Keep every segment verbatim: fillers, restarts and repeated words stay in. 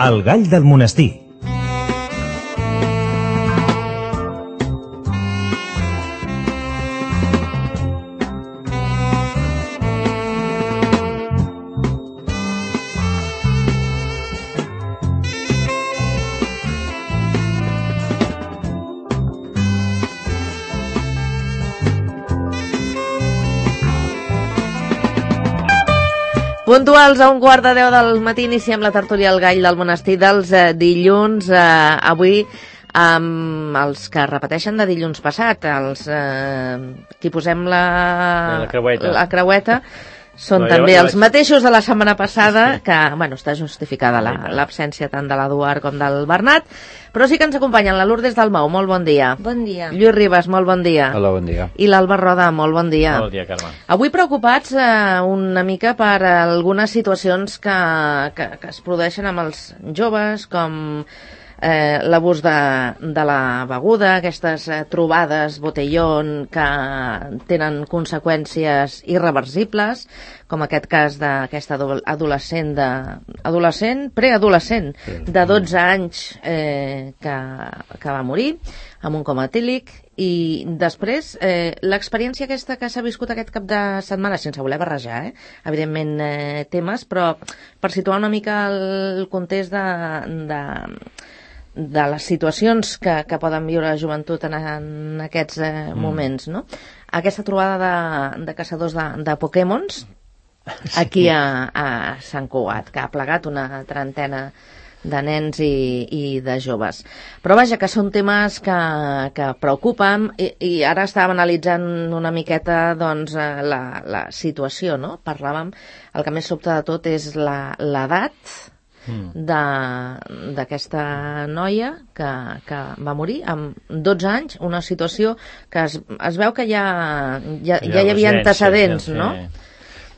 El gall del monestir. Puntuals a un quart de deu del matí iniciem la tertúlia al gall del monestir dels eh, dilluns. Eh, avui amb els que repeteixen de dilluns passat, els eh, que posem la, la creueta, la creueta són no, també jo, jo els vaig... mateixos de la setmana passada, que, bueno, està justificada l'absència la, tant de l'Eduard com del Bernat, però sí que ens acompanyen la Lourdes Dalmau, molt bon dia. Bon dia. Lluís Ribas, molt bon dia. Hola, bon dia. I l'Alba Roda, molt bon dia. Bon dia, Carme. Avui preocupats eh, una mica per algunes situacions que, que, que es produeixen amb els joves, com eh, l'abús de, de la beguda, aquestes eh, trobades botellón que tenen conseqüències irreversibles, com aquest cas d'aquesta adolescent, de, adolescent, preadolescent de dotze anys eh, que, que va morir amb un coma etílic, i després eh, l'experiència aquesta que s'ha viscut aquest cap de setmana, sense voler barrejar, eh? evidentment eh, temes, però per situar una mica el context de, de, de les situacions que, que poden viure la joventut en, en aquests eh, mm. moments, no? Aquesta trobada de, de caçadors de, de Pokémons aquí a, a Sant Cugat, que ha plegat una trentena de nens i, i de joves. Però vaja, que són temes que, que preocupen, i, i ara estàvem analitzant una miqueta doncs, la, la situació, no? Parlàvem, el que més sobta de tot és l'edat d'aquesta noia que, que va morir amb dotze anys, una situació que es, es veu que ja, ja, ja hi havia antecedents, sí, no?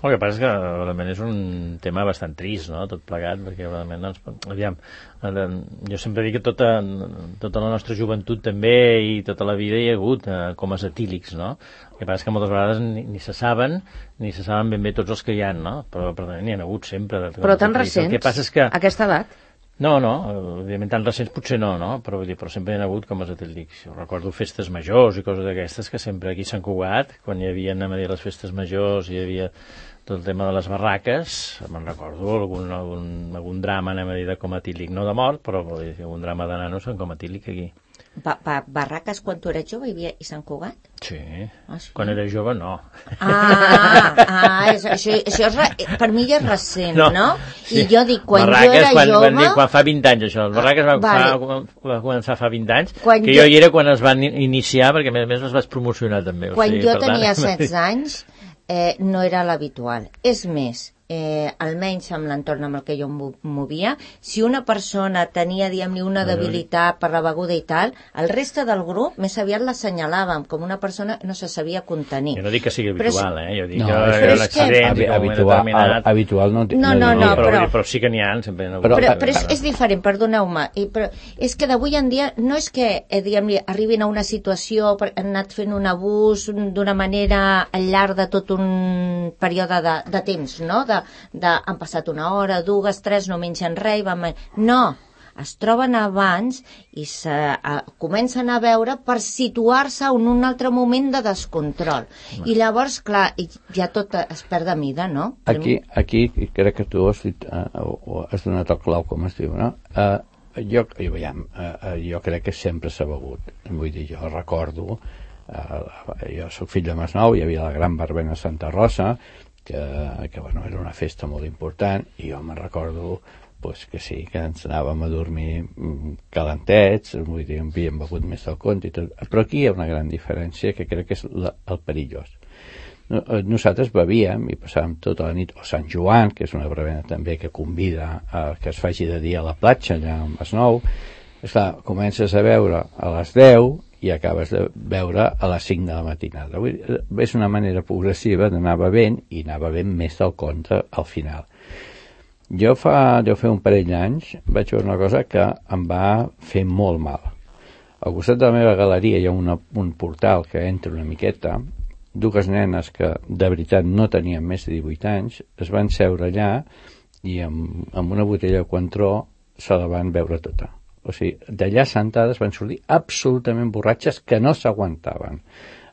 El que passa és que realment és un tema bastant trist, no?, tot plegat, perquè realment, doncs, aviam, jo sempre dic que tota, tota la nostra joventut també i tota la vida hi ha hagut eh, comes etílics, no? El que passa és que moltes vegades ni, ni se saben, ni se saben ben bé tots els que hi ha, no? Però, però n'hi ha hagut sempre. Però tan recents, el que passa és que... aquesta edat? No, no, evidentment tan recents potser no, no? Però, vull dir, però sempre hi ha hagut comes etílics. Jo recordo festes majors i coses d'aquestes que sempre aquí a Sant Cugat, quan hi havia, anem a dir, les festes majors, hi havia tot el tema de les barraques, me'n recordo algun, algun, algun drama, anem a dir, de coma etílic, no de mort, però dir, algun drama de nanos en coma etílic aquí. Ba ba barraques quan tu eres jove hi havia a Sant Cugat? Sí. Ah, sí, quan era jove no. Ah, ah és, això, això és re, per mi ja és recent, no? no? Sí. I jo dic, quan barraques, jo era quan, jove... Quan, quan fa vint anys, això. Les barraques va, vale. fa, va començar fa vint anys, quan que jo... jo hi era quan es van iniciar, perquè a més a més les vaig promocionar també. Quan o sigui, jo tenia tant... setze anys, eh, no era l'habitual. És més, eh, almenys amb l'entorn amb el que jo em movia, si una persona tenia, diguem-ne, una debilitat per la beguda i tal, el reste del grup més aviat l'assenyalàvem com una persona que no se sabia contenir. Jo no dic que sigui habitual, eh? Jo dic no, que era un accident, que... habitual, habitual no, no, no, no, no, però, però, però sí que n'hi ha, sempre no però, però, però és, és diferent, perdoneu-me, però és que d'avui en dia no és que eh, diguem-ne, arribin a una situació, han anat fent un abús d'una manera al llarg de tot un període de, de temps, no? De, de, han passat una hora, dues, tres, no mengen res, van... no, es troben abans i se, a, comencen a veure per situar-se en un altre moment de descontrol. No. I llavors, clar, ja tot es perd de mida, no? Aquí, aquí crec que tu has, dit, uh, has donat el clau, com es diu, no? Uh, jo, jo, veiem, uh, jo crec que sempre s'ha begut. Vull dir, jo recordo, uh, jo soc fill de Masnou, hi havia la gran verbena a Santa Rosa, que, que bueno, era una festa molt important, i jo me'n recordo pues, que sí, que ens anàvem a dormir calentets, vull dir, havíem begut més del compte i tot. Però aquí hi ha una gran diferència que crec que és la, el perillós. Nosaltres bevíem i passàvem tota la nit, o Sant Joan, que és una verbena també que convida a que es faci de dia a la platja allà a Masnou. Esclar, comences a veure a les deu i acabes de veure a les cinc de la matinada. És una manera progressiva d'anar bevent i anar bevent més del compte al final. Jo fa, deu fer un parell d'anys vaig veure una cosa que em va fer molt mal. Al costat de la meva galeria hi ha una, un portal que entra una miqueta, dues nenes que de veritat no tenien més de divuit anys es van seure allà i amb, amb una botella de Cointreau se la van veure tota. O sigui, d'allà sentades van sortir absolutament borratxes que no s'aguantaven.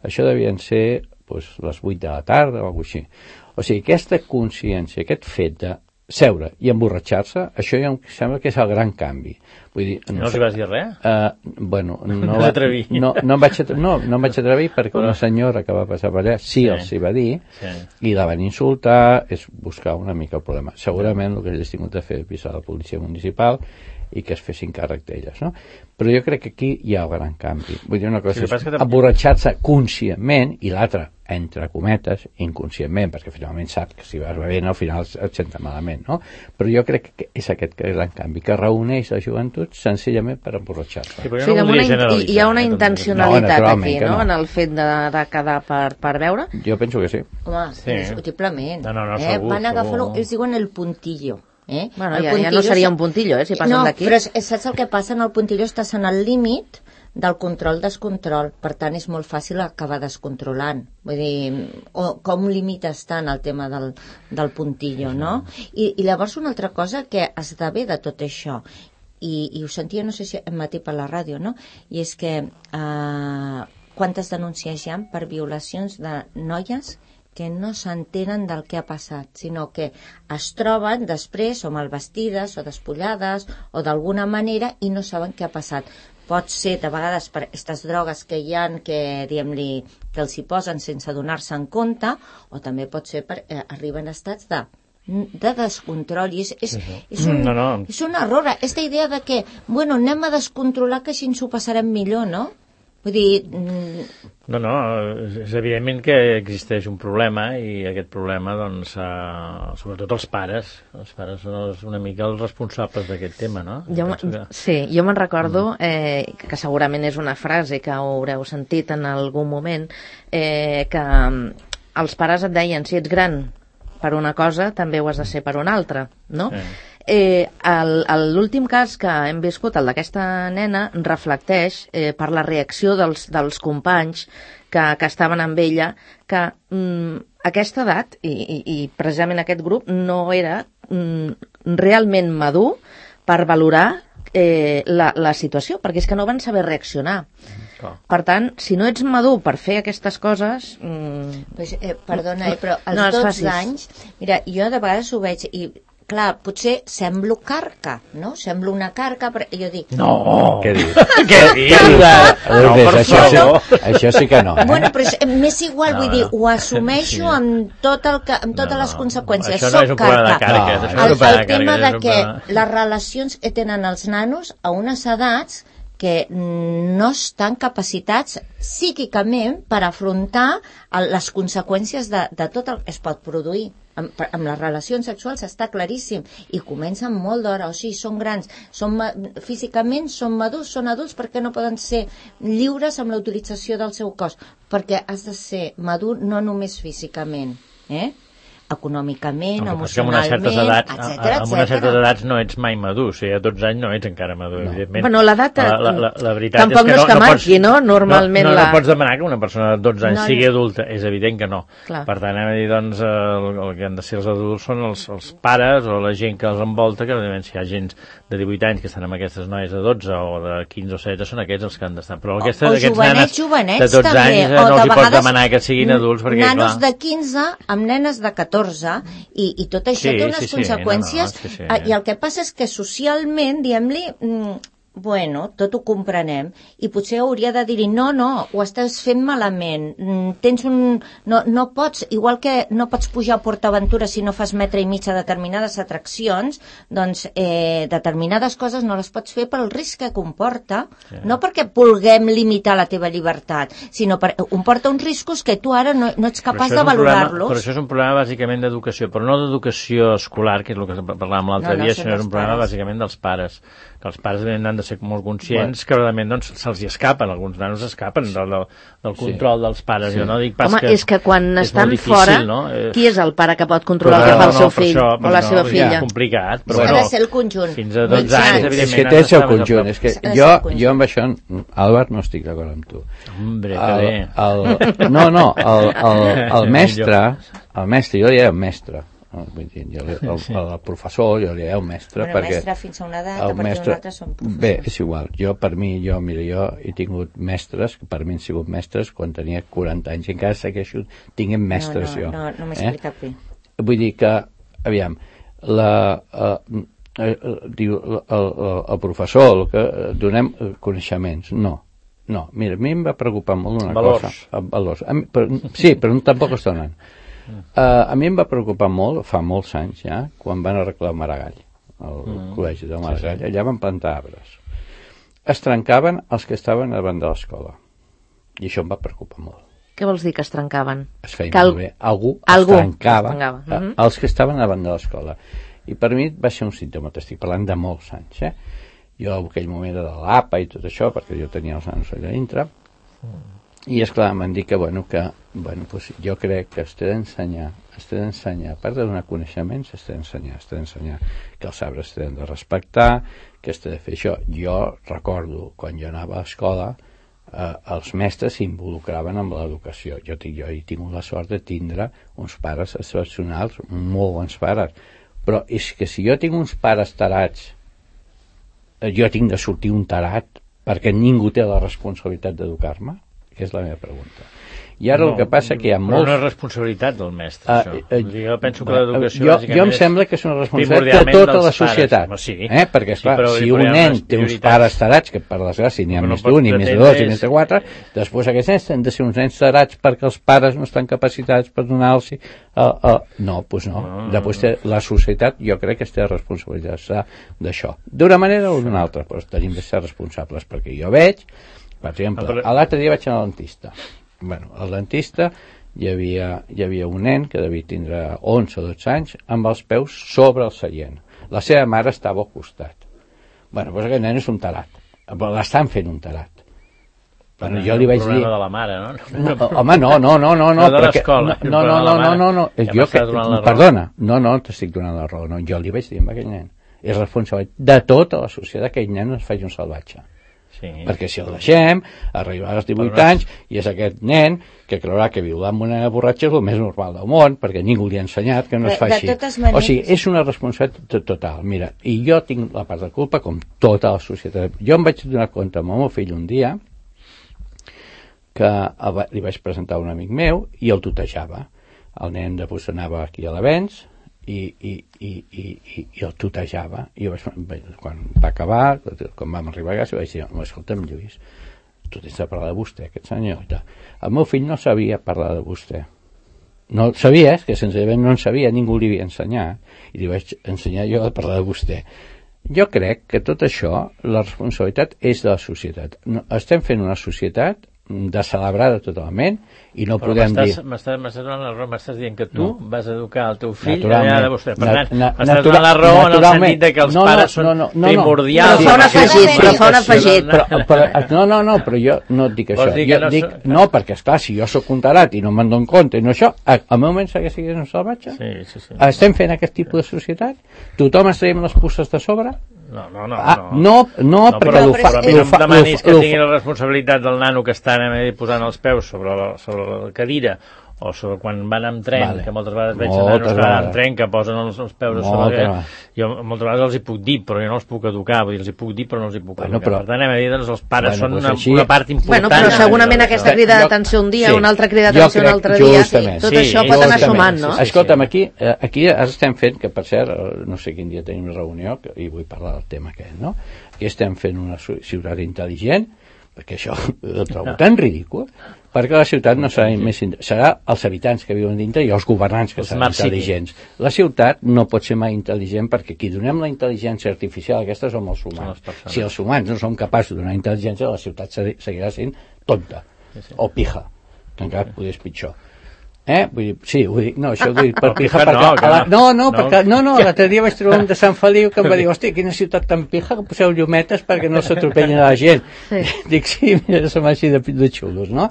Això devien ser doncs, les vuit de la tarda o alguna cosa així. O sigui, aquesta consciència, aquest fet de seure i emborratxar-se, això ja em sembla que és el gran canvi. Vull dir, no els vas dir res? Uh, bueno, no, no, va, no, no, em vaig atrevir, no, no em vaig atrevir perquè una senyora que va passar per allà sí, sí. els hi va dir sí. i la van insultar, és buscar una mica el problema. Segurament el que ells tingut de fer és avisar la policia municipal i que es fessin càrrec d'elles, no? Però jo crec que aquí hi ha un gran canvi. Vull dir, una cosa sí, és emborratxar-se conscientment i l'altra, entre cometes, inconscientment, perquè finalment sap que si vas bevent al final et senta malament, no? Però jo crec que és aquest gran canvi, que reuneix la joventut senzillament per emborratxar-se. Sí, o sigui, no una, hi ha una intencionalitat no, aquí, no? no? En el fet de, de quedar per, per veure? Jo penso que sí. Home, sí. Indiscutiblement. No, no, no, eh? segur, Van agafar-lo, segur. ells diuen el puntillo. Eh? Bueno, ja, ja no seria un puntillo, eh, si passen no, d'aquí. No, però saps el que passa? En el puntillo estàs en el límit del control-descontrol, per tant és molt fàcil acabar descontrolant. Vull dir, o, com limites tant el tema del, del puntillo, no? I, I llavors una altra cosa que esdevé de tot això, i, i ho sentia, no sé si em matí per la ràdio, no? I és que eh, quantes denúncies hi ha per violacions de noies que no s'entenen del que ha passat, sinó que es troben després o mal vestides o despullades o d'alguna manera i no saben què ha passat. Pot ser de vegades per aquestes drogues que hi ha que, diguem-li, que els hi posen sense donar-se en compte, o també pot ser per eh, arriben a estats de de descontrol i és, és, és, un, no, no. és un error, aquesta idea de que bueno, anem a descontrolar que així ens ho passarem millor, no? Vull dir... No, no, és evidentment que existeix un problema i aquest problema, doncs, uh, sobretot els pares, els pares són una mica els responsables d'aquest tema, no? Jo que... Sí, jo me'n recordo eh, que segurament és una frase que haureu sentit en algun moment, eh, que els pares et deien, si ets gran per una cosa, també ho has de ser per una altra, no? Sí. Eh, l'últim cas que hem viscut, el d'aquesta nena, reflecteix eh, per la reacció dels, dels companys que, que estaven amb ella, que mm, aquesta edat i, i, i precisament aquest grup no era mm, realment madur per valorar eh, la, la situació, perquè és que no van saber reaccionar. Oh. Per tant, si no ets madur per fer aquestes coses... Mm, pues, eh, perdona, eh, però als no dotze anys... Mira, jo de vegades ho veig i... Clar, potser semblo carca, no? Semblo una carca, però jo dic... No! Què dius? Què dius? No, no, això, sí, això sí que no. Eh? Bueno, però m'és igual, no, vull dir, ho assumeixo sí. amb, tot el que, amb totes no, les conseqüències. Això no Soc és un problema de carca. No, no, el, el tema de que problema... les relacions que tenen els nanos a unes edats que no estan capacitats psíquicament per afrontar les conseqüències de, de tot el que es pot produir. Amb, amb les relacions sexuals està claríssim i comencen molt d'hora, o sigui, són grans són, físicament són madurs, són adults, perquè no poden ser lliures amb la utilització del seu cos, perquè has de ser madur no només físicament, eh? Econòmicament, no, emocionalment, etcètera, etcètera. Amb unes certes edats no ets mai madur, o sigui, a dotze anys no ets encara madur, no. Evidentment. Bueno, l'edat la, la, la, la veritat tampoc és que no és que no, marqui, no? Pots, Normalment no, no, la... no pots demanar que una persona de dotze anys no, sigui adulta, és evident que no. Clar. Per tant, hem de dir, doncs, el, el que han de ser els adults són els, els pares o la gent que els envolta, que evidentment si hi ha gent de divuit anys que estan amb aquestes noies de dotze o de quinze o setze, són aquests els que han d'estar. Però aquesta, o aquests jovenets, nanes jovenets, de dotze també, anys no els hi pots demanar que siguin adults, perquè, nanos clar... de quinze amb nenes de catorze i, i tot això sí, té unes sí, sí, conseqüències no, no, sí, sí. I el que passa és que socialment, diguem-li, bueno, tot ho comprenem i potser hauria de dir-hi, no, no, ho estàs fent malament, tens un... No, no pots, igual que no pots pujar a PortAventura si no fas metre i mig a determinades atraccions, doncs eh, determinades coses no les pots fer pel risc que comporta, sí. No perquè vulguem limitar la teva llibertat, sinó perquè comporta uns riscos que tu ara no, no ets capaç de valorar-los. Però això és un problema bàsicament d'educació, però no d'educació escolar, que és el que parlàvem l'altre no, no, dia, sinó és un problema pares. Bàsicament dels pares, que els pares han de ser molt conscients bueno. Que realment doncs, se'ls hi escapen, alguns nanos escapen del, del, del control sí. Dels pares. Sí. Jo no dic pas Home, que és que quan és estan difícil, fora, no? Qui és el pare que pot controlar però, el que fa no, el seu no, fill això, o la no, seva filla? És complicat, però ha bueno, de ser el conjunt. Fins a dotze anys, evidentment. És que té el seu conjunt. És que jo, jo amb això, Albert, no estic d'acord amb tu. Hombre, que bé. El, el, no, no, el, el, el mestre, el mestre, jo li deia mestre, Vull dir, jo li, el, el, el professor, jo li el mestre, bueno, perquè... mestre fins a una edat, a partir mestre, d'una altra són professors. Bé, és igual. Jo, per mi, jo, mira, jo he tingut mestres, que per mi han sigut mestres quan tenia quaranta anys, i encara segueixo tinguent mestres, no, no, jo. No, no m'he explicat bé. Vull dir que, aviam, la... Uh, Eh, diu el, el, el professor el que donem coneixements, no, no, mira, a mi em va preocupar molt una valors. cosa, valors, a mi, però, sí, però tampoc es donen. Uh, a mi em va preocupar molt, fa molts anys ja, quan van arreglar el Maragall, el mm. col·legi del Maragall, sí, sí. Allà van plantar arbres, es trencaven els que estaven davant de l'escola, i això em va preocupar molt. Què vols dir que es trencaven? Es feia Cal... molt bé, algú, algú es trencava, es trencava. Uh -huh. els que estaven davant de l'escola. I per mi va ser un símptoma, t'estic parlant de molts anys, eh? Jo en aquell moment era de l'A P A i tot això, perquè jo tenia els nanos allà dintre, mm. i esclar, m'han dit que, bueno, que bueno, pues, jo crec que es té d'ensenyar, es té d'ensenyar, a part de donar coneixements, es té d'ensenyar, es té d'ensenyar que els arbres es tenen de respectar, que es té de fer això. Jo recordo, quan jo anava a l'escola, eh, els mestres s'involucraven amb l'educació. Jo, tinc, jo he tingut la sort de tindre uns pares excepcionals, molt bons pares, però és que si jo tinc uns pares tarats, jo tinc de sortir un tarat perquè ningú té la responsabilitat d'educar-me? Que és la meva pregunta. I ara no, el que passa que hi ha molts... Però no és responsabilitat del mestre, uh, això. Uh, jo penso que l'educació... Jo, jo em sembla que és una responsabilitat de tota la societat. Pares, sí, eh? Perquè, esclar, sí, si un nen té uns pares tarats, que per desgràcia n'hi ha no més d'un, i més de dos, i més de quatre, després aquests nens han de ser uns nens tarats perquè els pares no estan capacitats per donar-los... Uh, uh, no, doncs no. no. Després té, la societat, jo crec que es té responsabilitat d'això. D'una manera o d'una altra, però tenim de ser responsables, perquè jo veig, per exemple, l'altre dia vaig anar al dentista. Bueno, al dentista hi havia, hi havia un nen que devia tindre onze o dotze anys amb els peus sobre el seient. La seva mare estava al costat. Bueno, doncs aquest nen és un tarat. L'estan fent un tarat. Bueno, jo li vaig dir... de la mare, no? no home, no, no, no, no, no, de l'escola. No, no, no, no, no, no, jo que, perdona, no, no, t'estic donant la raó, no, jo li vaig dir a aquell nen, és responsable de tota la societat que aquell nen no es faci un salvatge. Sí. Perquè si el deixem, arribarà als divuit anys i és aquest nen que creurà que violar amb una borratxa és el més normal del món, perquè ningú li ha ensenyat que no es fa així. Maneres... O sigui, és una responsabilitat total. Mira, i jo tinc la part de culpa com tota la societat. Jo em vaig donar compte amb el meu fill un dia que li vaig presentar un amic meu i el tutejava. El nen després anava aquí a l'Avenç i, i, i, i, i, i el tutejava. I jo vaig, quan va acabar, quan vam arribar a casa, vaig dir, escolta'm, Lluís, tu tens de parlar de vostè, aquest senyor. El meu fill no sabia parlar de vostè. No sabia, és que senzillament no en sabia, ningú li havia ensenyat, i li vaig ensenyar jo a parlar de vostè. Jo crec que tot això, la responsabilitat és de la societat. No, estem fent una societat descelebrada totalment i no però podem dir... M'estàs donant la raó, m'estàs dient que tu no. vas educar el teu fill allà de vostè. Per tant, na, m'estàs donant la raó en el sentit de que els no, pares no, no, no, són primordials. Però fa un afegit, però fa un afegit. Però, però, no, no, no, però jo no et dic això. Jo no, dic, so... no, perquè esclar, si jo sóc un tarat i no me'n dono compte i no això, al meu moment segueix sent un salvatge? Sí, sí, sí. Estem fent aquest tipus de societat? Tothom es traiem les puces de sobre? No, no, no. Ah, no, no, no, no perquè però, però a mi no em demanis que tingui la responsabilitat del nano que està posant els peus sobre la, sobre la cadira o sobre quan van amb tren, vale. Que moltes vegades veig moltes nanos que van amb tren que posen els, els peus a sobre que, jo moltes vegades els hi puc dir però jo no els puc educar, vull dir, els hi puc dir però no els hi puc bueno, educar, però, per tant hem de dir doncs els pares bueno, són una, pues una part important. Bueno, però segurament aquesta crida d'atenció un dia, sí, una altra crida d'atenció un altre dia, tot sí, això pot anar sumant, no? Sí, Escolta'm, aquí, aquí estem fent, que per cert, no sé quin dia tenim reunió i vull parlar del tema aquest, no? Aquí estem fent una ciutat intel·ligent, perquè això ho trobo tan ridícul, perquè la ciutat no serà més serà els habitants que viuen dintre i els governants que seran intel·ligents. La ciutat no pot ser mai intel·ligent perquè qui donem la intel·ligència artificial aquesta som els humans. Si els humans no som capaços de donar intel·ligència, la ciutat seguirà sent tonta o pija, que encara podria ser pitjor. Eh? Vull dir, sí, vull dir, no, això ho dic per no, pija perquè... No, la, no, no, no, perquè, no, no, l'altre dia vaig trobar un de Sant Feliu que em va dir, hòstia, quina ciutat tan pija que poseu llumetes perquè no s'atropellin a la gent. Sí. Dic, sí, mira, som així de, de xulos, no?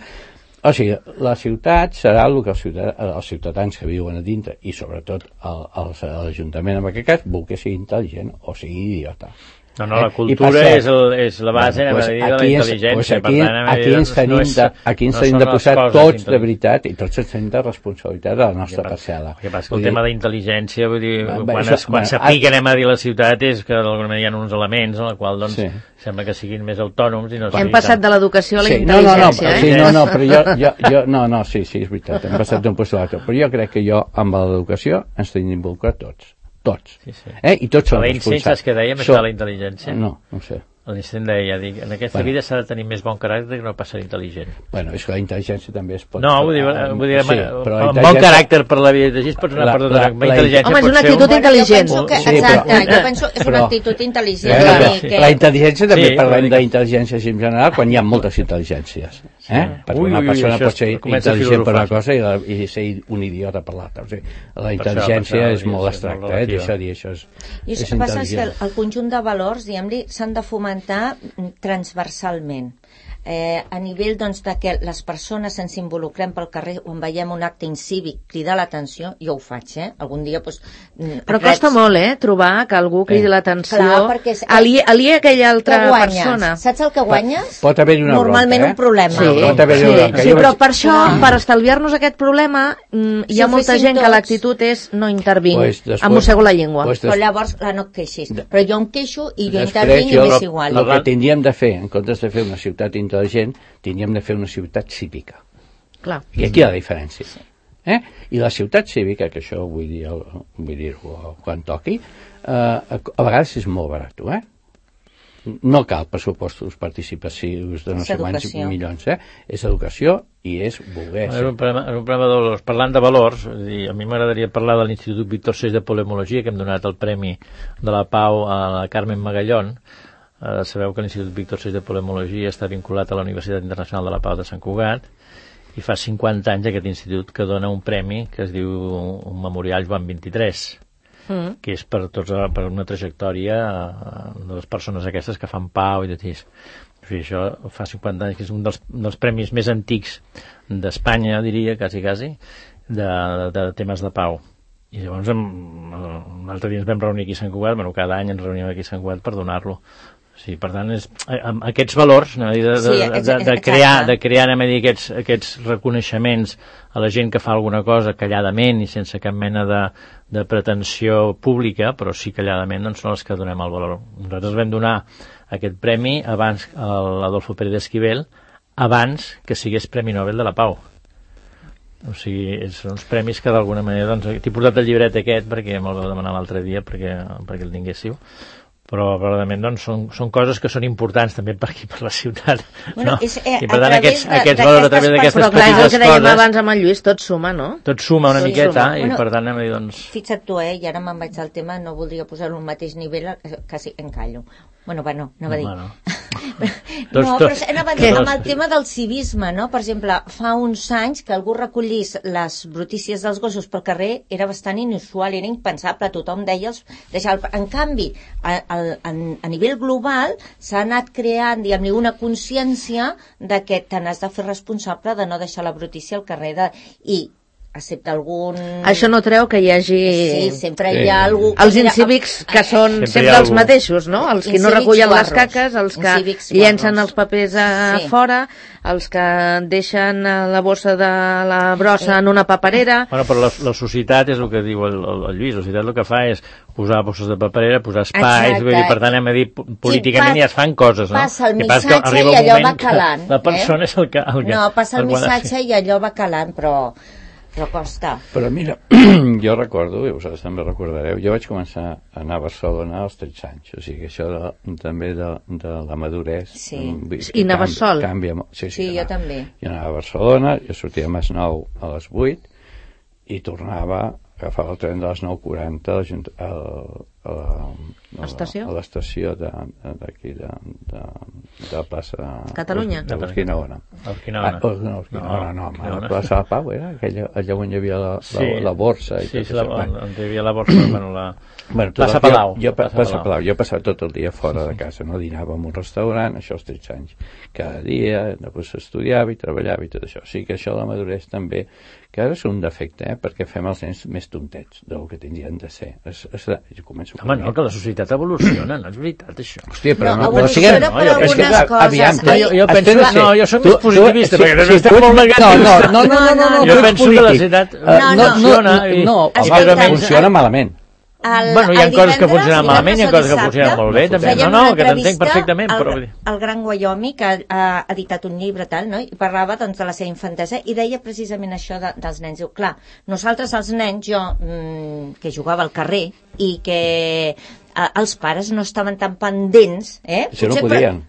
O sigui, la ciutat serà el que els ciutadans, els ciutadans que viuen a dintre i sobretot l'Ajuntament en aquest cas vol que sigui intel·ligent o sigui idiota. No, no, la cultura eh? és, el, és la base bueno, pues, de la intel·ligència. Pues aquí, per tant, aquí ens tenim no és, de, aquí ens no tenim de posar tots de veritat i tots ens tenim de responsabilitat de la nostra parcel·la. El que passa que el tema d'intel·ligència, vull dir, va, quan, això, es, quan bueno, s'aplica, anem a dir la ciutat, és que d'alguna manera hi ha uns elements en la qual doncs, sí. sembla que siguin més autònoms. I no hem passat tant. De l'educació a la sí, intel·ligència, no, no, no, eh? Sí, no, no, però jo, jo, jo, no, no, sí, sí, és veritat, hem passat d'un lloc a l'altre, però jo crec que jo, amb l'educació, ens tenim d'involucrar tots. Tots. Sí, sí. Eh? I tots són responsables. L'Einstein, saps què dèiem, això de la intel·ligència? No, no ho sé. L'Einstein deia, dic, en aquesta bueno. vida s'ha de tenir més bon caràcter que no pas ser intel·ligent. Bueno, és que la intel·ligència també es pot... No, vull dir, uh, vull dir sí, però un bon caràcter per la vida de gis pots anar la, per tot la, la, intel·ligència. Home, és una actitud un... intel·ligent. Jo penso que, sí, exacte, però, jo penso que és una actitud intel·ligent. Però, però, que... La intel·ligència també sí, parlem d'intel·ligència en general quan hi ha moltes intel·ligències. Eh? Perquè ui, una persona ui, pot ser intel·ligent per una cosa i, la, i ser un idiota per l'altra. O sigui, la intel·ligència és molt abstracta, eh? Deixa dir, això és, I és que passa que el conjunt de valors, diguem-li, s'han de fomentar transversalment. Eh, a nivell doncs, de que les persones ens involucrem pel carrer on veiem un acte incívic cridar l'atenció, jo ho faig, eh? Algun dia doncs, però reps... costa molt, eh? Trobar que algú cridi eh. l'atenció aliè a aquella altra persona. Saps el que guanyes? Pot haver-hi una normalment bronca, eh? un problema. Sí, pot haver-hi sí, una bronca. sí, però per això, per estalviar-nos aquest problema, hi ha si molta gent tots... que l'actitud és no intervinc, pues després, em mossego la llengua. Pues des... Però llavors, clar, no et queixis. Però jo em queixo i jo intervinc i m'és igual. El que tindríem de fer, en comptes de fer una ciutat intel·ligent, tindríem de fer una ciutat cívica. Clar. I aquí hi ha la diferència. Eh? I la ciutat cívica, que això vull dir-ho vull dir quan toqui, eh, a vegades és molt barat, eh? No cal pressupostos participatius de no sé quants milions, eh? És educació i és voler. És un problema, és un problema de valors. Parlant de valors, dir, a mi m'agradaria parlar de l'Institut Víctor Seix de Polemologia, que hem donat el Premi de la Pau a la Carmen Magallón. Uh, sabeu que l'Institut Víctor Seix de Polemologia està vinculat a la Universitat Internacional de la Pau de Sant Cugat i fa cinquanta anys aquest institut que dona un premi que es diu un memorial Joan vint-i-tres mm. que és per, tots, per una trajectòria uh, de les persones aquestes que fan pau i de tis. O sigui, això fa cinquanta anys que és un dels, dels premis més antics d'Espanya, diria, quasi, quasi, de, de, de temes de pau. I llavors un altre dia ens vam reunir aquí a Sant Cugat, bueno, cada any ens reunim aquí a Sant Cugat per donar-lo. Sí, per tant, és, amb aquests valors de, de, de, de, de, crear, de crear anem a dir, aquests, aquests reconeixements a la gent que fa alguna cosa calladament i sense cap mena de, de pretensió pública, però sí calladament, doncs són els que donem el valor. Nosaltres vam donar aquest premi abans a l'Adolfo Pérez Esquivel, abans que sigués Premi Nobel de la Pau. O sigui, són uns premis que d'alguna manera, doncs, t'he portat el llibret aquest perquè me'l vau demanar l'altre dia perquè, perquè el tinguéssiu, però probablement doncs, són, són coses que són importants també per aquí, per la ciutat, bueno, no? És, eh, i per tant aquests, de, aquests valors a través d'aquestes petites coses... Però clar, el que dèiem abans amb el Lluís, tot suma, no? Tot suma una tot miqueta suma. I bueno, per tant anem a dir, doncs... Fixa't tu, eh, i ara me'n vaig al tema, no voldria posar-ho al mateix nivell, quasi encallo. Bueno, va, no, anava a dir. No, no però anava a dir, amb el tema del civisme, no? Per exemple, fa uns anys que algú recollís les brutícies dels gossos pel carrer era bastant inusual, era impensable, tothom deia els... Deixar el... En canvi, a, a, a nivell global s'ha anat creant, diguem-ne, una consciència de que te n'has de fer responsable de no deixar la brutícia al carrer de... i excepte algun... Això no treu que hi hagi... Sí, sempre hi ha algú... Els incívics que són sempre, sempre els mateixos, no? Els que no recullen les caques, els que llencen els papers a sí. fora, els que deixen la bossa de la brossa en una paperera... Bueno, però la, la societat és el que diu el, el, el Lluís, la societat el que fa és posar bosses de paperera, posar espais, vull dir, per tant hem de dir, políticament ja es fan coses, no? Passa el missatge i allò va calant. La persona eh? és el que... El que no, passa el missatge i allò va calant, però... però costa. Però mira, jo recordo, i vosaltres també recordareu, jo vaig començar a anar a Barcelona als tretze anys, o sigui, això de, també de, de la madurez... Sí, i anaves sol? Canvia, sí, sí, sí jo anava, també. Jo anava a Barcelona, jo sortia a Masnou a les vuit i tornava, agafava el tren de les nou quaranta a l'estació d'aquí, de, de, de plaça... Catalunya? De l'Urquinaona. L'Urquinaona. Ah, no, l'Urquinaona no, no, la plaça de Pau era aquella, allà on hi havia la, la, sí, la borsa. I sí, tot sí, la, bueno. on hi havia la borsa, bueno, la... Bueno, plaça Palau. Jo, jo, plaça Palau. Palau. Jo passava tot el dia fora de casa, no dinava en un restaurant, això als tretze anys. Cada dia, després estudiava i treballava i tot això. O sigui que això de la madurez també, que ara és un defecte, eh? Perquè fem els nens més tontets del que tindrien de ser. Es, es, jo començo Home, no, que la societat societat evoluciona, no és veritat, això. Hòstia, però no, no... evoluciona no, per jo penso algunes que, coses. aviam, No, jo, jo penso, espera, no, jo soc tu- més positivista, tu- perquè sí, també estem tu- molt negatius. No, no, no, no, no, no, Jo tu ets penso que la polític. societat Eh, No, no, funciona no, i- no, i home, més o menys- funciona malament. El, Bueno, hi ha el coses que divendres, funcionen malament, hi ha coses que divendres o funcionen dissabte, molt bé, també. fèiem No, no, una que t'entenc entrevista perfectament, al, però vull dir- al Gran Wyoming, que ha, ha editat un llibre, tal, no? I parlava doncs, de la seva infantesa i deia precisament això de, dels nens. Diu, clar, nosaltres els nens, jo, mmm, que jugava al carrer i que eh, els pares no estaven tan pendents, eh? Això no Potser, podien. Però,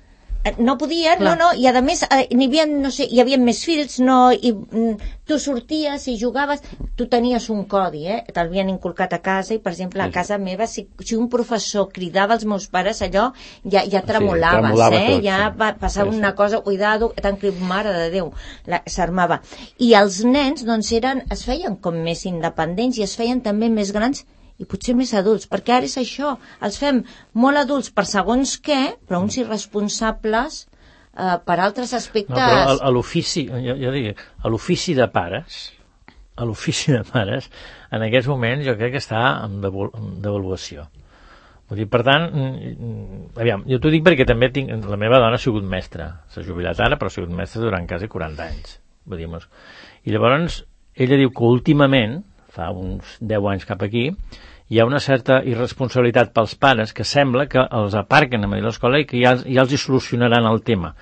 no podien, Clar. no, no, i a més eh, n'hi havia, no sé, hi havia més fills, no, i mm, tu sorties i jugaves, tu tenies un codi, eh, t'havien inculcat a casa, i per exemple a casa meva, si, si un professor cridava als meus pares allò, ja, ja tremolaves, tremolava eh, tot, ja sí. va passar Sí, sí. una cosa, cuidado, t'han crit, mare de Déu, la- s'armava. I els nens, doncs, eren, es feien com més independents i es feien també més grans i potser més adults, perquè ara és això, els fem molt adults per segons què, però uns irresponsables eh, per altres aspectes. No, però a, a l'ofici, jo, jo dic, a l'ofici de pares, a l'ofici de pares, en aquests moments jo crec que està en devalu- en devaluació. Vull dir, per tant, mm, aviam, jo t'ho dic perquè també tinc, la meva dona ha sigut mestra, s'ha jubilat ara, però ha sigut mestra durant quasi quaranta anys. Vull dir, mos. I llavors, ella diu que últimament, fa uns deu anys cap aquí, hi ha una certa irresponsabilitat pels pares que sembla que els aparquen a l'escola i que ja, ja els hi solucionaran el tema.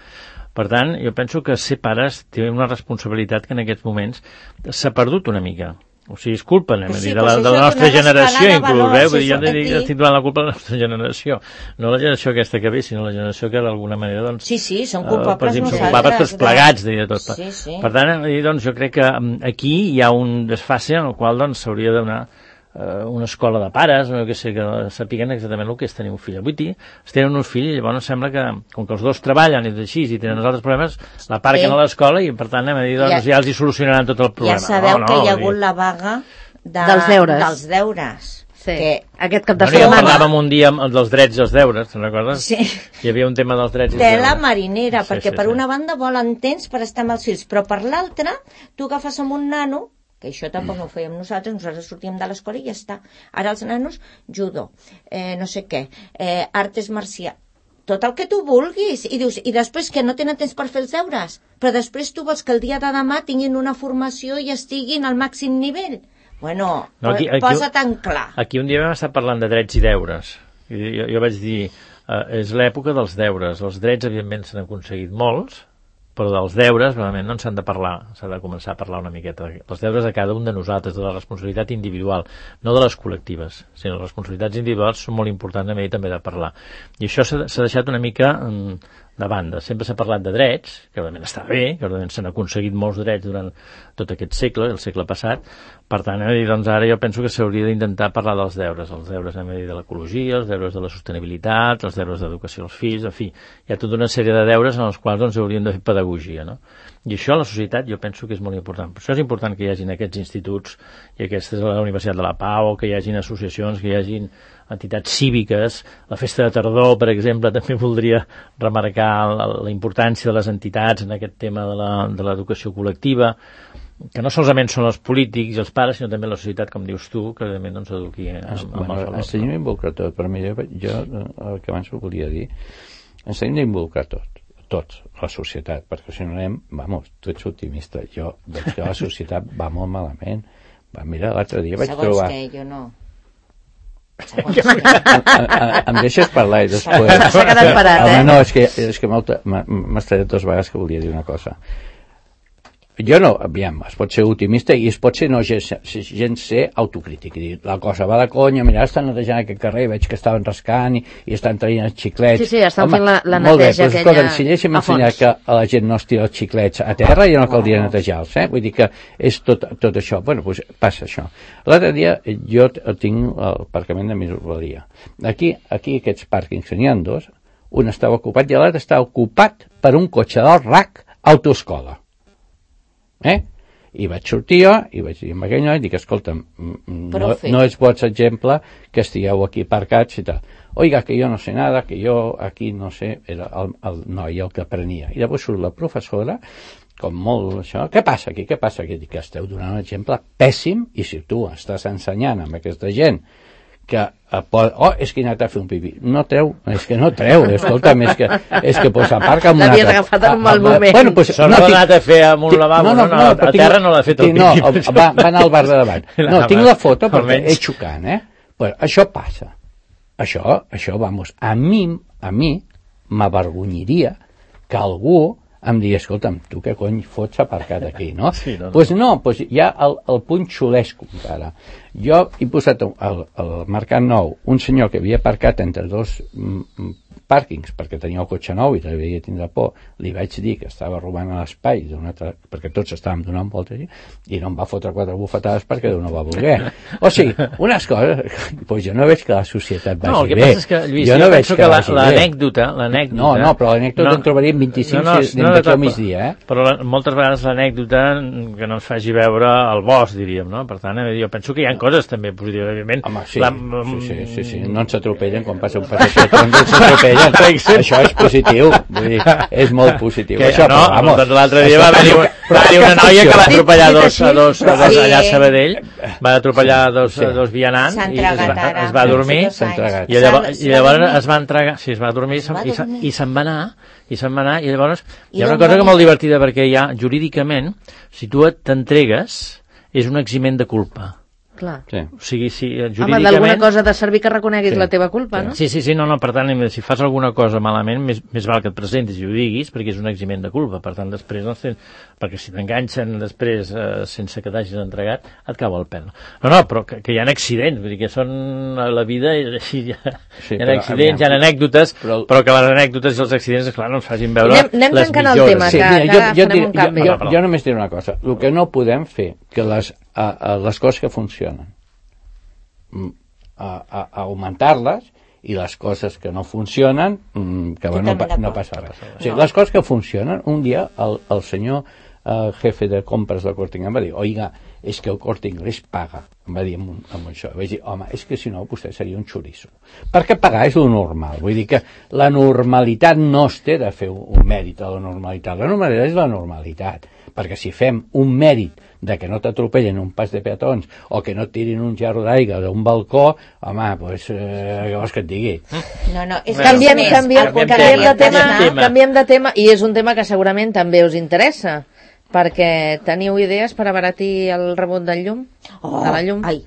Per tant, jo penso que ser pares té una responsabilitat que en aquests moments s'ha perdut una mica. O sigui, és culpa, anem a Sí, dir, de però la, si de la això és nostra una generació, escalada de inclús, valors, eh? Vull dir, jo això, no dic, aquí- estic donant la culpa a la nostra generació. No la generació aquesta que ve, sinó la generació que d'alguna manera, doncs... Sí, sí, són eh, culpables per exemple, nosaltres. Són culpables tots de- plegats, diria tot. Sí, sí. Per tant, eh, doncs, jo crec que mm, aquí hi ha un desfase en el qual doncs, s'hauria de donar eh, una escola de pares, o que sé, que sapiguen exactament el que és tenir un fill. Avui es tenen un fill i llavors sembla que, com que els dos treballen i així i tenen els altres problemes, l'aparquen Sí. a l'escola i per tant anem a dir, doncs, Ja- ja, els hi solucionaran tot el problema. Ja sabeu no, no, que hi ha vull hagut dir- la vaga de, Dels deures. Dels deures. Sí. Que, Aquest cap de Bueno, ja setmana... parlàvem un dia amb- dels drets i els deures, te'n recordes? sí. Hi havia un tema dels drets i els Tela deures. marinera, Sí, perquè sí, per sí. una banda volen temps per estar amb els fills, però per l'altra, tu agafes amb un nano, que això tampoc no ho fèiem nosaltres, nosaltres sortíem de l'escola i ja està. Ara els nanos, judo, eh, no sé què, eh, artes marcials, tot el que tu vulguis, i dius, i després que no tenen temps per fer els deures, però després tu vols que el dia de demà tinguin una formació i estiguin al màxim nivell. Bueno, No, aquí- aquí- posa tan clar. Aquí un dia vam estar parlant de drets i deures. I jo, jo vaig dir, eh, és l'època dels deures. Els drets, evidentment, s'han aconseguit molts, però dels deures, realment, no en s'han de parlar. S'ha de començar a parlar una miqueta. Els deures de cada un de nosaltres, de la responsabilitat individual, no de les col·lectives, sinó les responsabilitats individuals són molt importants a mi també de parlar. I això s'ha s'ha deixat una mica mm, de banda. Sempre s'ha parlat de drets, que realment està bé, que realment s'han aconseguit molts drets durant tot aquest segle, el segle passat. Per tant, eh, doncs ara jo penso que s'hauria d'intentar parlar dels deures, els deures a dir, de l'ecologia, els deures de la sostenibilitat, els deures d'educació als fills, en fi, hi ha tota una sèrie de deures en els quals doncs, hauríem de fer pedagogia, no? I això a la societat jo penso que és molt important. Per això és important que hi hagin aquests instituts, i aquesta és la Universitat de la Pau, que hi hagin associacions, que hi hagin entitats cíviques. La festa de tardor, per exemple, també voldria remarcar la, la importància de les entitats en aquest tema de la, de l'educació col·lectiva, que no solament són els polítics i els pares, sinó també la societat, com dius tu, que realment doncs, eduqui amb, amb bueno, els valors. ens tenim d'involucrar tot, però mira, jo el que abans volia dir, ens tenim d'involucrar tot, tots, la societat, perquè si no anem, vamos, tu ets optimista, jo veig que la societat va molt malament. Va, mira, l'altre dia vaig Segons trobar... què, jo no. Segons què. em, em, em deixes parlar i després... S'ha quedat parat, Home, eh? no, és que, és que m'ha estat dues vegades que volia dir una cosa. Jo no, aviam, es pot ser optimista i es pot ser no gens, gens ser autocrític i dir, la cosa va de conya, mira, estan netejant aquest carrer, veig que estaven rascant i, i estan traient els xiclets. Sí, sí, estan Home, fent la- la molt bé, neteja però, aquella escolta, si haguéssim a ensenyat fons. que a la gent no es tira els xiclets a terra, ja no caldria netejar-los, eh? Vull dir que és tot, tot això. Bueno, doncs passa això. L'altre dia jo t- tinc l'aparcament de Minusvalia. Aquí, aquí aquests pàrquings que n'hi ha dos, un estava ocupat i l'altre estava ocupat per un cotxe del R A C autoescola. Eh? I vaig sortir jo i vaig dir amb aquell noi, dic, escolta'm, no, Profe. no és boig exemple que estigueu aquí aparcats i tal. Oiga, que jo no sé nada, que jo aquí no sé, era el, el noi el que aprenia. I llavors surt la professora, com molt això, què passa aquí, què passa aquí? Dic, que esteu donant un exemple pèssim i si tu estàs ensenyant amb aquesta gent que oh, és que he anat a fer un pipí. No treu, és que no treu, escolta'm, és que, és que pues, aparca amb una... L'havies agafat en un mal moment. Bueno, pues, no, no, anat a fer amb un lavabo, no, no, no, no a terra no l'ha fet el no, pipí. No, va, va anar al bar de davant. No, tinc la foto perquè és xocant, eh? Pues, això passa. Això, això, vamos, a mi, a mi m'avergonyiria que algú em digui, escolta'm, tu què cony fots aparcat aquí, no? Sí, no, no. Pues no, pues hi ha el, el punt xulesco encara. Jo he posat al, al Mercat Nou un senyor que havia aparcat entre dos mm, pàrquings perquè tenia el cotxe nou i devia tindre por, li vaig dir que estava robant l'espai altra, perquè tots estàvem donant voltes i no em va fotre quatre bufetades perquè no va voler. O sigui, unes coses, pues jo no veig que la societat vagi bé. No, el que passa és que, Lluís, jo jo no penso que, que l'anècdota... No, no, però l'anècdota no, en trobaríem vint-i-cinc no, no, no, d'aquí al migdia, eh? Però la, moltes vegades l'anècdota que no ens faci veure el bosc, diríem, no? Per tant, jo penso que hi ha coses també positives, evidentment. Home, sí, la, sí, sí, sí, sí, no ens atropellen quan passa un passeig, no ens atropellen. Això és positiu, vull dir, és molt positiu. Que, això, no, però, vamos, doncs l'altre dia va haver-hi una, va haver una noia que va atropellar dos, a dos, a dos allà a Sabadell, va atropellar dos, sí. dos vianants i es va, es va dormir i llavors, i llavors es va entregar, sí, es va dormir i, i se'n va anar i se'n va anar i llavors hi ha una cosa que molt divertida perquè ja jurídicament si tu t'entregues és un eximent de culpa. Clar. Sí. O sigui, si Home, jurídicament... d'alguna cosa de servir que reconeguis sí. la teva culpa, sí. no? Sí, sí, sí, no, no, per tant, si fas alguna cosa malament, més, més val que et presentis i ho diguis, perquè és un eximent de culpa, per tant, després, no, perquè si t'enganxen després eh, sense que t'hagis entregat, et cau el pèl. No, no, però que, que hi ha accidents, vull dir que són a la vida, i així hi ha, sí, hi ha accidents, hi ha anècdotes, però, però que les anècdotes i els accidents, clar, no ens facin veure anem, anem les millores. El tema, sí, que, mira, que jo, jo, farem un canvi. Jo, jo, jo només diré una cosa, el que no podem fer, que les, a, a, les coses que funcionen, A, a, a augmentar-les i les coses que no funcionen que va, no, no passa res. O sigui, les coses que funcionen, un dia el, el senyor eh, jefe de compres del Corte Inglés va dir, oiga, és que el Corte Inglés paga. Em va dir amb, amb això. Vaig dir, home, és que si no vostè seria un xoriço. Perquè pagar és lo normal. Vull dir que la normalitat no es té de fer un, un mèrit a la normalitat. La normalitat és la normalitat. Perquè si fem un mèrit de que no t'atropellen un pas de peatons o que no et tirin un gerro d'aigua d'un balcó, home, doncs, eh, què vols que et digui? No, no, és canviem, més, canviem, canviem, canviem, de tema, tema. canviem de tema, i és un tema que segurament també us interessa, perquè teniu idees per abaratir el rebut del llum? Oh, de la llum? Ai.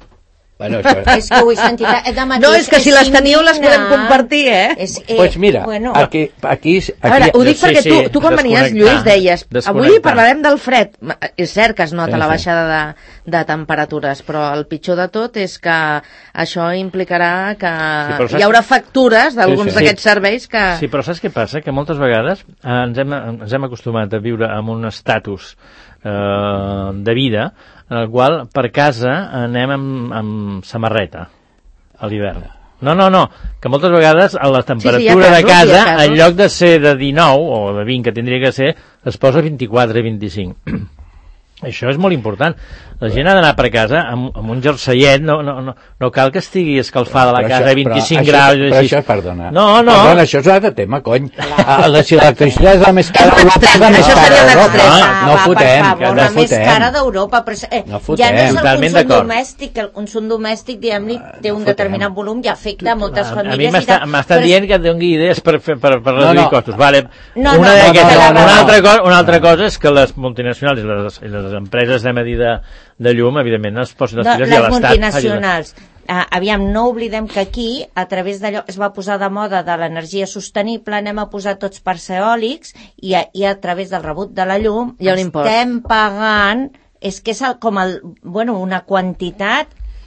Bueno, això... És que ho he sentit de matí. No, és que si les teniu les podem compartir, eh? És, eh pues mira, bueno. aquí, aquí, aquí... A veure, ho dic sí, perquè sí, tu, tu quan venies, Lluís, deies, avui parlarem del fred. És cert que es nota sí, la sí. baixada de, de temperatures, però el pitjor de tot és que això implicarà que Sí, però saps- hi haurà factures d'alguns Sí, sí. d'aquests serveis que... Sí, però saps què passa? Que moltes vegades eh, ens, hem, ens hem acostumat a viure amb un estatus eh, de vida en el qual per casa anem amb, amb samarreta a l'hivern. No, no, no, que moltes vegades a la temperatura sí, sí, de casos, casa, casos. en lloc de ser de dinou o de vint, que tindria que ser, es posa vint-i-quatre i vint-i-cinc. Això és molt important. La gent ha d'anar per casa amb, amb un jerseiet, no, no, no, no cal que estigui escalfada la Però casa això- a vint-i-cinc però graus. Això, però així. això, perdona. No, no. Perdona, això és un altre tema, cony. Ah, la, si l'electricitat és la més cara d'Europa, és la més Això cara seria d'Europa. l'extrem. No, no va, fotem, per favor, no la més fotem. cara d'Europa, però eh, No ja fotem. no és el Totalment consum d'acord. domèstic, el consum domèstic, diguem-li, té no un fotem. determinat volum i afecta a moltes A, a mi famílies. m'està- i tal, m'estan però- dient que doni idees per, fer- per, per reduir no. costos. Vale. No, una no, d'aquestes. no, no, no, una, no. altra cosa, una altra cosa és que les multinacionals i les, i les empreses de medida de llum, evidentment, es posen les No, piles i les a l'Estat. multinacionals. Ah, aviam, no oblidem que aquí, a través d'allò, es va posar de moda de l'energia sostenible, anem a posar tots parcs eòlics i a, i a través del rebut de la llum Hi ha un impost. estem pagant, és que és el, com el, bueno, una quantitat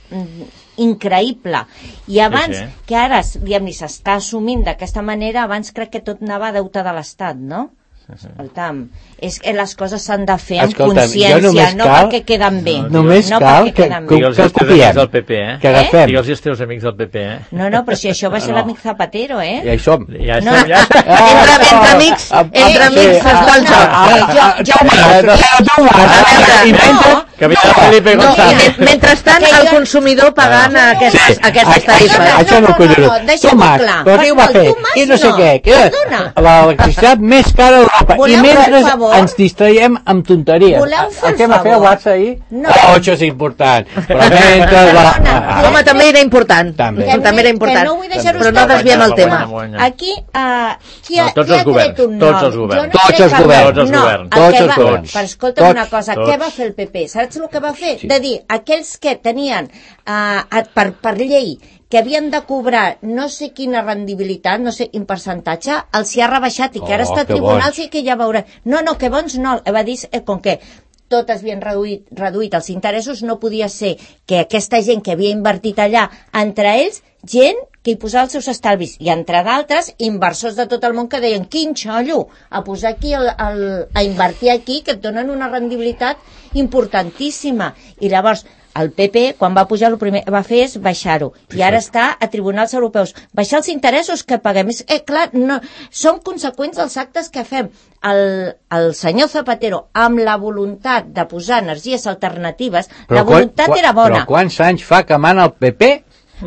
mm, increïble. I abans, Sí, sí. que ara diguem-li, s'està assumint d'aquesta manera, abans crec que tot anava a deute de l'Estat, no? Escolta'm, és que les coses s'han de fer amb Escolta'm, jo consciència, només no cal- perquè queden bé. Només no cal perquè que, queden que, bé. Digue'ls que als teus copiem. amics del P P, eh? Que agafem. Digue'ls als teus amics del P P, eh? No, no, però si això va ser No. l'amic Zapatero, eh? Ja hi som. Ja No. estem, ja estem. Entre, entre amics, Ah, entre sí, amics ah, es fa el joc. ah, Eh, jo, jo, Ah, jo, ah, A veure, Inventa, Que havia de Felipe No, González. i mentrestant, el consumidor pagant aquestes, aquestes tarifes. Això no ho collons. deixem-ho clar. Però què ho va fer? Tomàs, I no sé no. què. Que Perdona. l'electricitat més cara d'Europa. I Voleu fer mentre un favor? ens distraiem amb tonteries. Voleu fer El el que va fer el favor? Barça ahir? No. Oh, això és important. Però mentre... la- Perdona. Home, també era important. També. Que també era important. Que no vull deixar-ho Però no estar. desviem el tema. Guanya. Aquí, uh, qui ha, No, tots qui ha els governs, tret un tots nom? els governs. Jo no Tots crec els que- governs. Tots els no, governs. el Tots que els va- governs. Però escolta'm Tots, una cosa, tots. què va fer el P P? Saps el que va fer? Sí. De dir, aquells que tenien uh, per, per llei que havien de cobrar no sé quina rendibilitat, no sé quin percentatge, els hi ha rebaixat i que ara Oh, està a que tribunals bons. i que ja veurà. No, no, que bons no. Va dir, eh, com que tot havien reduït, reduït els interessos, no podia ser que aquesta gent que havia invertit allà, entre ells, gent que hi posava els seus estalvis, i entre d'altres, inversors de tot el món que deien, quin xollo, a posar aquí, el, el, a invertir aquí, que et donen una rendibilitat importantíssima. I llavors, el P P, quan va pujar, el primer que va fer és baixar-ho. I ara està a tribunals europeus. Baixar els interessos que paguem. És, eh, clar, no, són conseqüents dels actes que fem. El, el senyor Zapatero, amb la voluntat de posar energies alternatives, la voluntat quan, era bona. Però quants anys fa que mana el P P?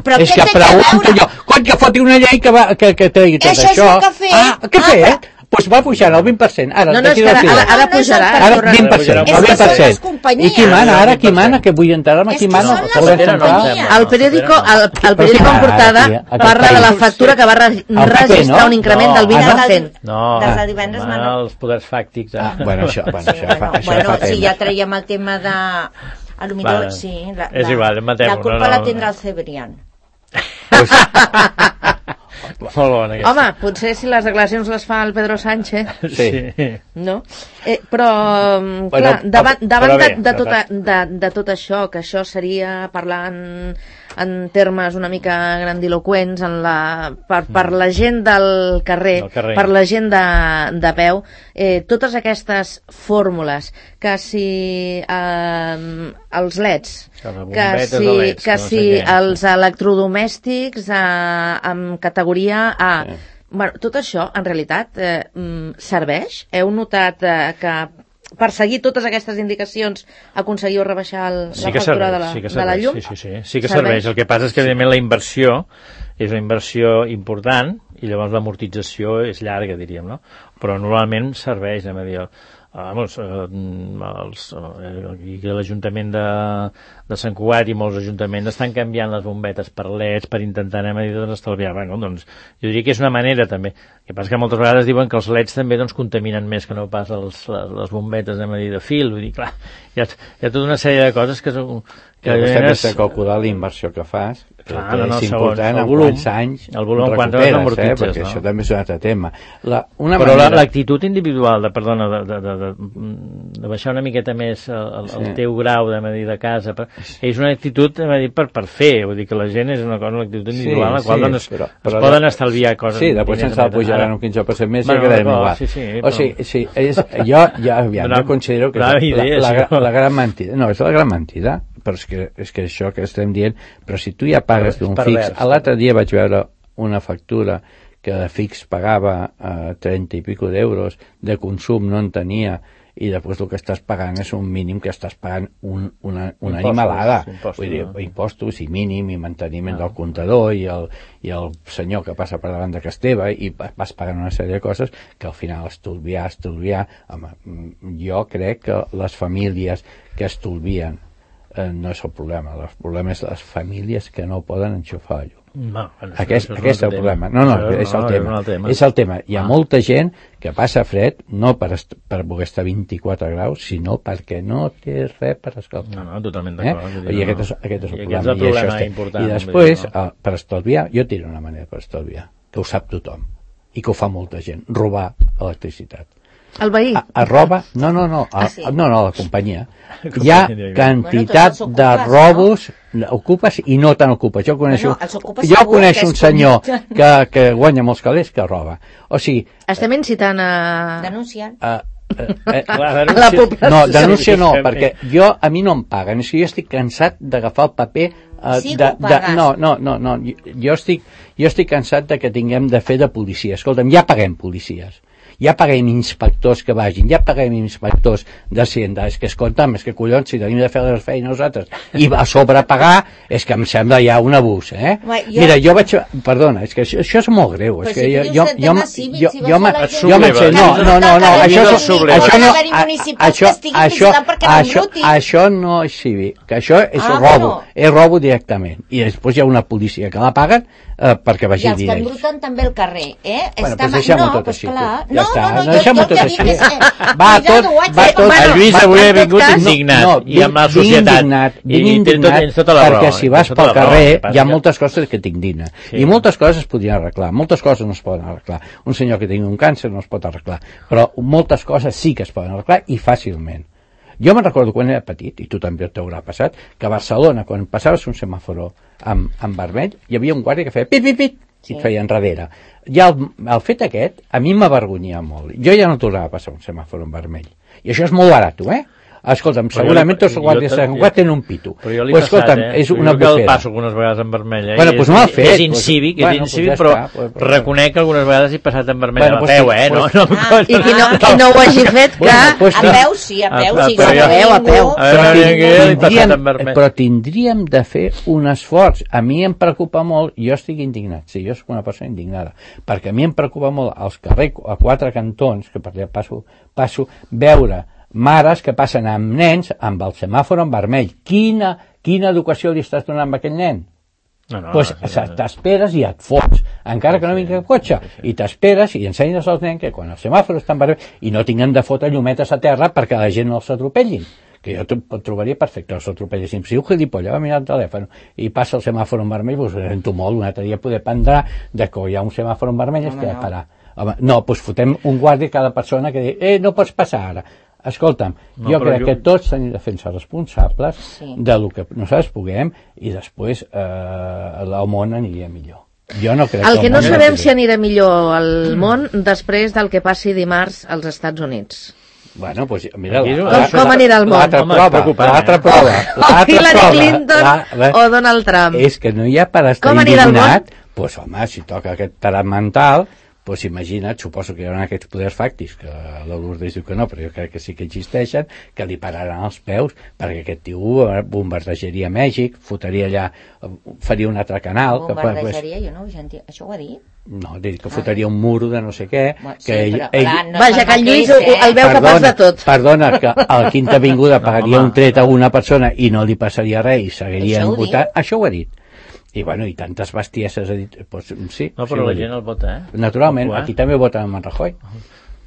Però és què que té a pregunto veure? jo, quan que foti una llei que, va, que, que tregui tot Això això... és el que ha fet. Ah, què ha Ah, fet? Doncs va pujar el vint per cent. Ara, No, no, és d'aquí que ara, del ara, final. ara No, no és pujarà. el Ara tornarà. vint per cent, És el que vint per són les cent. companyies. I qui mana ara? Qui mana? Que vull enterar-me És qui que mana? són les El govern companyies. central? El periòdico, el, el Però periòdico sí, en portada ara, aquí, parla de la aquí. factura que va re- P P, registrar no? un increment No. del vint Ah, per cent. No, Des de divendres, mana mana. els poders fàctics. Eh? Ah, bueno, això, bueno, Sí, això, bueno, fa, això bueno, fa si temps. ja traiem el tema de... A lo millor, Vale. sí. La, És la, igual, matem-ho, la culpa no, no. la tindrà el Cebrián. Pues, Molt bona aquesta. Home, potser si les declaracions les fa el Pedro Sánchez, sí. no? Eh, però, mm, Bueno, clar, davant, davant però de, bé, de, però tota, de, de tot això, que això seria parlant en termes una mica grandiloquents en la, per, per la gent del carrer, Del carrer. per la gent de, de peu, eh, totes aquestes fórmules, que si eh, els leds, Que les que bombetes de si, leds, que que no sé si què. els electrodomèstics eh, amb categoria A. Sí. Bueno, tot això, en realitat, eh, mm, serveix? Heu notat eh, que per seguir totes aquestes indicacions aconseguiu rebaixar el, Sí la que factura serveix, de, la, sí que de la serveix, llum? sí, sí, sí, sí que serveix. El que passa és que, evidentment, la inversió és una inversió important i llavors l'amortització és llarga, diríem, no? Però normalment serveix, anem a dir, vamos, eh, els, eh, aquí a l'Ajuntament de, de Sant Cugat i molts ajuntaments estan canviant les bombetes per leds per intentar, anem a dir, doncs, estalviar. Bueno, doncs, jo diria que és una manera, també. El que passa que moltes vegades diuen que els leds també doncs, contaminen més que no pas els, les, les bombetes, anem a dir, de fil. Vull dir, clar, hi ha, hi ha tota una sèrie de coses que són... Que vostè has de calcular la inversió que fas, que Clar, no, no, és segons important el en volum, quants anys el volum, recuperes, quants anys eh? amortitzes, Perquè no? això també és un altre tema. La, una Però manera... l'actitud individual, de, perdona, de, de, de, de, de baixar una miqueta més el, el, el Sí. teu grau de dir, de casa, per, és una actitud dir, per, per fer, vull dir que la gent és una cosa, l'actitud individual, Sí, la qual sí, doncs, però- es però- poden estalviar coses. Sí, després diners, se'ns el etcètera. pujaran un quinze per cent més Bueno, i quedarem d'acord, igual. sí, sí, o però- sigui, sí, és, jo, ja, aviam, Donam- jo considero que és donam la, idees, la, la, això. la gran mentida. No, és la gran mentida, però és que, és que això que estem dient, però si tu ja pagues Però és d'un pervers, fix, l'altre dia vaig veure una factura que de fix pagava eh, trenta i pico d'euros, de consum no en tenia, i després el que estàs pagant és un mínim que estàs pagant un, una, una Impostos, animalada. impostos, Vull dir, no? impostos i mínim i manteniment del comptador i el, i el senyor que passa per davant de casa teva i pa- vas pagant una sèrie de coses que al final estolviar, estolviar home, mm, jo crec que les famílies que estolvien eh, no és el problema, el problema és les famílies que no poden enxufar llum. No, bueno, Aquest, això aquest és el un altre problema. tema. No, no, Això és el no, tema. un altre tema. És el tema. Hi ha Ah. molta gent que passa fred no per, est per poder estar vint-i-quatre graus, sinó perquè no té res per escalfar. No, no, totalment Eh? d'acord. vull dir, I no. aquest és, aquest és el I problema. aquest és el I això problema està- important. I vull després, dir, no? eh, per estalviar, jo tiro una manera per estalviar, que ho sap tothom, i que ho fa molta gent, robar electricitat. El veí. A, a roba, no, no, no, a, Ah, sí? no, no, la companyia. Hi ha Companyia, quantitat Bueno, de tots els ocupes, robos, ocupes i no tan ocupes. Jo coneixo, Bueno, els ocupes jo segur coneixo que un és senyor com- que, que guanya molts calés que roba. O sigui, Estem incitant a... Denunciant. eh, eh, eh, Clar, la denúncia- població. no, denúncia no, Sí, perquè jo, a mi no em paguen. És que jo estic cansat d'agafar el paper eh, Sí de, que ho de, pagues. no, no, no, no, jo, jo estic jo estic cansat de que tinguem de fer de policia. Escolta'm, ja paguem policies. ja paguem inspectors que vagin, ja paguem inspectors d'Hacienda, és que escolta'm, és que collons, si tenim de fer les feines nosaltres i a sobre pagar, és que em sembla ja un abús, eh? Home, jo... Mira, jo vaig... Perdona, és que això, això és molt greu, és però que si jo... dius jo, de jo, tema jo, cívic, jo, si jo, vas a la jo gent- m'en- no, no, no, no, això, no això, subleva. això no, Ha d'haver-hi municipals que estiguin vigilant perquè no això, embrutin. això no és cívic, que això és Ah, robo, bueno. és robo directament, i després hi ha una policia que la paguen eh, perquè I vagi els que diners. embruten també al carrer, eh? Bueno, Està doncs ma- deixem-ho no, tot pues així, clar. tu. Ja No, està, no, no, no, jo, deixem-ho jo tot el que dic així. és... eh, Va cuidado, tot- ho haig va de- tot- El Lluís Va, avui en ha tot vingut cas- indignat, No, i amb la vinc societat. indignat, I- vinc i té tot- indignat tens tota la raó, perquè si tens vas tota pel la raó. carrer El que passa hi ha que- moltes coses que t'indignen. Sí. I moltes coses es podrien arreglar, moltes coses no es poden arreglar. Un senyor que tingui un càncer no es pot arreglar, però moltes coses sí que es poden arreglar i fàcilment. Jo me'n recordo quan era petit, i tu també t'haurà passat, que a Barcelona, quan passaves un semàforo amb, amb vermell, hi havia un guàrdia que feia pit, pit, pit, i et feia enrere. I el, el fet aquest, a mi m'avergonyia molt. Jo ja no tornava a passar un semàforo en vermell. I això és molt barat, eh? Escolta'm, Però segurament jo- tots els guàrdies jo- de Sant Cugat tenen un pito. Però jo l'he Pues, passat, escolta'm, eh? és Jo una que el bufera. passo algunes vegades en vermell, eh? Bueno, I pues és, mal fet, és pues- incívic, és bueno, pues incívic, ja però està, pues- pues- reconec que algunes vegades he passat en vermell Bueno, a pues peu, sí, eh? No, pues- no, Ah, I qui no, qui no ho hagi fet, que... Bueno, pues A sí. peu sí, a peu A- a sí. peu, si no a ve peu, a ningú- peu. A veure, Però, que he passat tindríem, en vermell. però tindríem de fer un esforç. A mi em preocupa molt, jo estic indignat, sí, jo soc una persona indignada, perquè a mi em preocupa molt als carrers, a quatre cantons, que per allà passo, passo, veure mares que passen amb nens amb el semàfor en vermell. Quina, quina educació li estàs donant a aquell nen? no, no, Doncs no, sí, no. t'esperes i et fots, encara que no vingui el cotxe, i t'esperes i ensenyes als nens que quan el semàfor està en vermell i no tinguem de fotre llumetes a terra perquè la gent no els atropellin, que jo t- trobaria perfecte els atropellessin. Si un gilipolla va mirar el telèfon i passa el semàfor en vermell, doncs ho sento molt, un altre dia poder prendre de que hi ha un semàfor en vermell i es queda parar. Home, no, doncs fotem un guàrdia a cada persona que diu, eh, no pots passar ara. Escolta'm, No, jo però crec jo- que tots tenim de fer-se responsables Sí. de lo que nosaltres puguem i després eh, el món aniria millor. Jo no crec El que no món sabem anirà si anirà millor al món després del que passi dimarts als Estats Units. Bueno, pues mira, Aquí és un- la- Com- com anirà el món? L'altra Home, és prova, preocupant, l'altra eh? prova, O l'altra Hillary prova, Clinton la- la- o Donald Trump. És que no hi ha per estar Com anirà el món? indignat, pues home, si toca aquest tarat mental, pues imagina't, suposo que hi haurà aquests poders fàctics, que la Lourdes diu que no, però jo crec que sí que existeixen, que li pararan els peus, perquè aquest tio bombardejaria Mèxic, fotria allà, faria un altre canal, que, pues, Bombardejaria, jo no ho he sentit. Això ho ha dit? no, dic que fotria un muro de no sé què, Bueno, sí, que ell, però, ell, clar, no Vaja, és que el Lluís mateix, ho- el veu capaç de tot. Perdona, que a la Quinta Avinguda pagaria home. un tret a una persona i no li passaria res i seguirien Això ho votant. diu? Això ho ha dit. I bueno, i tantes bestieses ha dit, pues, sí, No, sí, però ho ha la dit. gent el vota, eh? Naturalment, Ojo, eh? aquí també voten en Rajoy.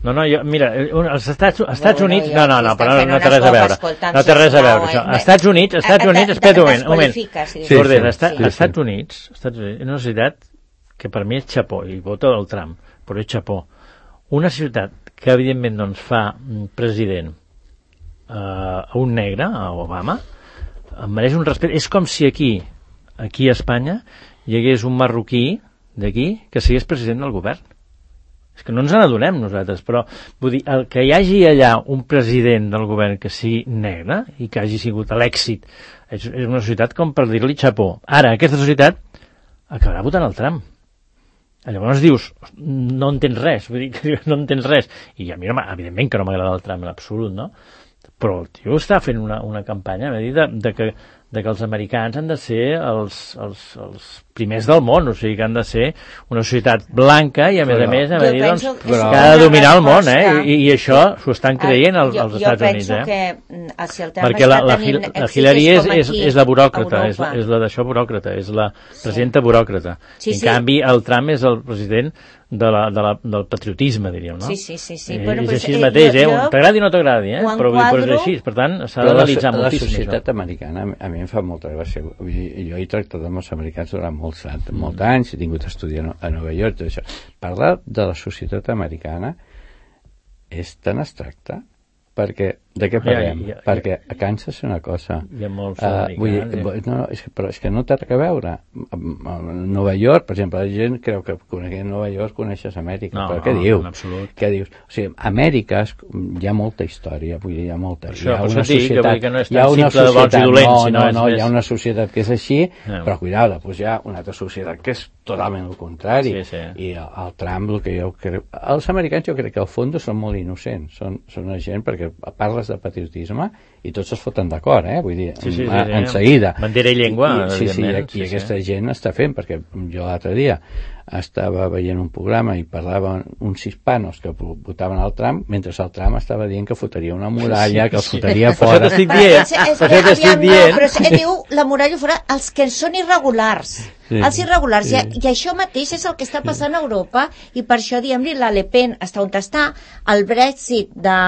No, no, jo, mira, eh, un- als Estats, als Estats Bueno, Units... jo No, no, aquí no, estan però no, fent no té unes res a veure. coses, No té res a veure, sisplau, això. eh? Als Estats Units, als Estats Et- Units, et- espera't un moment, un moment. desqualifiques, si dius. Sí, Lourdes, sí, als Estats- sí, sí. als Estats Units, Estats Units, és una ciutat que per mi és xapó, i vota el Trump, però és xapó. Una ciutat que, evidentment, doncs, fa mm, president eh, a un negre, a Obama, em mereix un respecte. És com si aquí, aquí a Espanya, hi hagués un marroquí d'aquí que sigués president del govern. És que no ens n'adonem nosaltres, però vull dir, el que hi hagi allà un president del govern que sigui negre i que hagi sigut l'èxit, és, és una societat com per dir-li xapó. Ara, aquesta societat acabarà votant el Trump. Llavors dius, no entens res, vull dir que no entens res. I a mi, no, evidentment que no m'agrada el Trump en absolut, no? Però el tio està fent una, una campanya de, dir de, de, que, de que els americans han de ser els, els, els primers del món, o sigui que han de ser una societat blanca i a més Però- a més a Jo dir, doncs, penso que que és ha una de dominar el món, eh? resposta- I, i això s'ho estan creient als, jo, als Estats jo Units, penso eh? que mm, si el Trump Perquè la, està la, tenint Hil- la èxit Hillary és, com és, aquí, és la buròcrata, a és, la- Europa. és la d'això buròcrata, és la presidenta buròcrata. Sí, en sí. canvi, el Trump és el president de la, de la, del patriotisme, diríem, no? Sí, sí, sí, sí. Eh, Bueno, és però així eh, mateix, eh? jo- T'agradi o no t'agradi, eh? ho Però, vull dir, però és enquadro- així, per tant, s'ha Però la, d'analitzar la moltíssim. societat això. americana a mi em fa molta gràcia. Vull dir, jo he tractat amb els americans durant molts, anys, molts anys, he tingut estudi a No- a Nova York, tot això. Parlar de la societat americana és tan abstracte perquè De què parlem? Ja, ja, ja. Perquè a Kansas és una cosa... Hi ha molts uh, americans. Vull dir, no, no, és que, però és que no té res a veure. A Nova York, per exemple, la gent creu que coneguent Nova York coneixes Amèrica, no, però què no, dius? En absolut. Què dius? O sigui, Amèrica és, hi ha molta història, vull dir, hi ha molta... Per això, hi ha per una això dic que, societat, que no és hi ha tan una simple de bons i dolents, no, sinó no, és no, més... hi ha una societat que és així, no. Però cuidado, doncs hi ha una altra societat que és totalment el contrari. Sí, sí. I el, el Trump, el que jo crec... Els americans jo crec que al fons són molt innocents, són, són una gent perquè parles de patriotisme i tots es foten d'acord, eh? Vull dir, sí, sí, sí, en, sí. en seguida. Bandera i llengua, I, sí, sí, i, sí, i sí. aquesta gent està fent, perquè jo l'altre dia estava veient un programa i parlaven uns hispanos que votaven al Trump, mentre el Trump estava dient que fotria una muralla, sí, que els sí. fotria Per fora. això t'estic dient. Per això t'estic dient. No, però si diu la muralla fora, els que són irregulars. Sí, els irregulars, sí. I, i això mateix és el que està passant a Europa, i per això, diguem-li, la Le Pen està on està, el Brexit de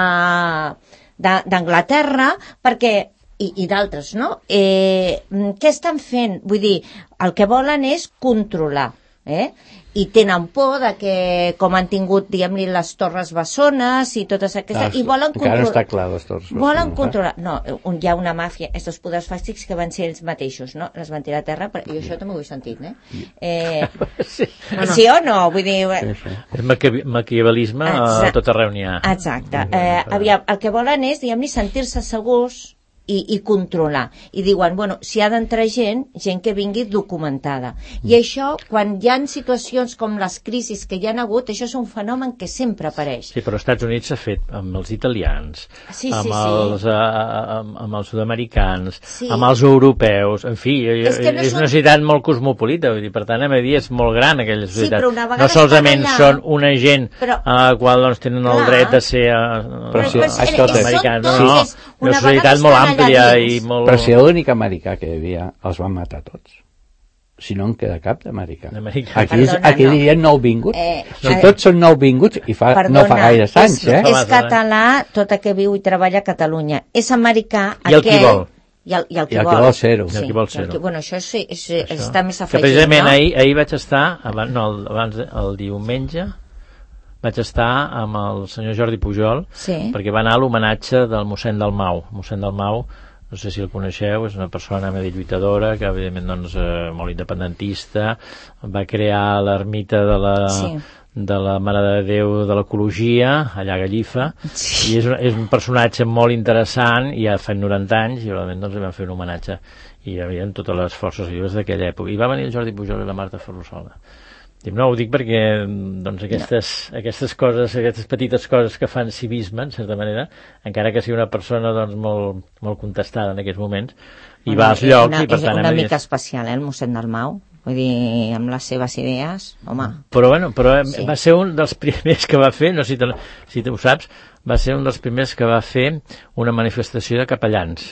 d'Anglaterra, perquè i, i d'altres, no? Eh, què estan fent? Vull dir, el que volen és controlar, eh? I tenen por de que, com han tingut, diguem-li, les Torres Bessones i totes aquestes, ah, i volen controlar... Encara no està clar, les Torres Bessones. Volen controlar... No, un, hi ha una màfia, aquests poders fàstics que van ser ells mateixos, no? Les van tirar a terra, però jo això també ho he sentit, eh? eh sí. sí o no? Vull dir... Sí, sí. És maquiavelisme a tot arreu n'hi ha. Exacte. Eh, aviam, el que volen és, diguem-li, sentir-se segurs i, i controlar. I diuen, bueno, si ha d'entrar gent, gent que vingui documentada. I això, quan hi ha situacions com les crisis que hi ha hagut, això és un fenomen que sempre apareix. Sí, però als Estats Units s'ha fet amb els italians, sí, amb, sí, els, sí. uh, amb, amb els sud-americans, sí. amb els europeus, en fi, és, és, no és són... una societat molt cosmopolita, vull dir, per tant, a dir, és molt gran aquella societat. Sí, però una vegada no solament allà... són una gent però... a la qual doncs, tenen el Clar. dret de ser uh, però, sí, escolta, americans. Tots, No, no, és una, una societat molt àmplia i molt... Però si l'únic americà que hi havia els van matar tots. Si no en queda cap d'americà. Aquí, Perdona, aquí no. dirien nouvinguts. Eh, si eh, tots són nouvinguts, i fa, perdona, no fa gaire anys, és, eh? És català, tot el que viu i treballa a Catalunya. És americà, I el aquell... qui vol. I el, i el qui I el vol. qui vol ser-ho. I el qui vol ser-ho. Sí, bueno, això, sí, és, és, Això. està més Que afegit, precisament no? ahir, ahir vaig estar, abans, no, abans el diumenge, vaig estar amb el senyor Jordi Pujol, sí. perquè va anar a l'homenatge del mossèn Dalmau. Mossèn Dalmau, no sé si el coneixeu, és una persona més lluitadora, que evidentment doncs, eh, molt independentista, va crear l'ermita de la... Sí. de la Mare de Déu de l'Ecologia, allà a Gallifa, sí. I és un, és un personatge molt interessant, i ja fa noranta anys, i realment doncs, li van fer un homenatge, i hi havia totes les forces vives d'aquella època. I va venir el Jordi Pujol i la Marta Ferrusola. No, ho dic perquè doncs, aquestes, no. aquestes coses, aquestes petites coses que fan civisme, en certa manera, encara que sigui una persona doncs, molt, molt contestada en aquests moments, i bueno, va als llocs... Una, i per és tant, una més... mica especial, eh, el mossèn Dalmau. Vull dir, amb les seves idees, home... Però, bueno, però sí. Va ser un dels primers que va fer, no sé si, te, si tu ho saps, va ser un dels primers que va fer una manifestació de capellans.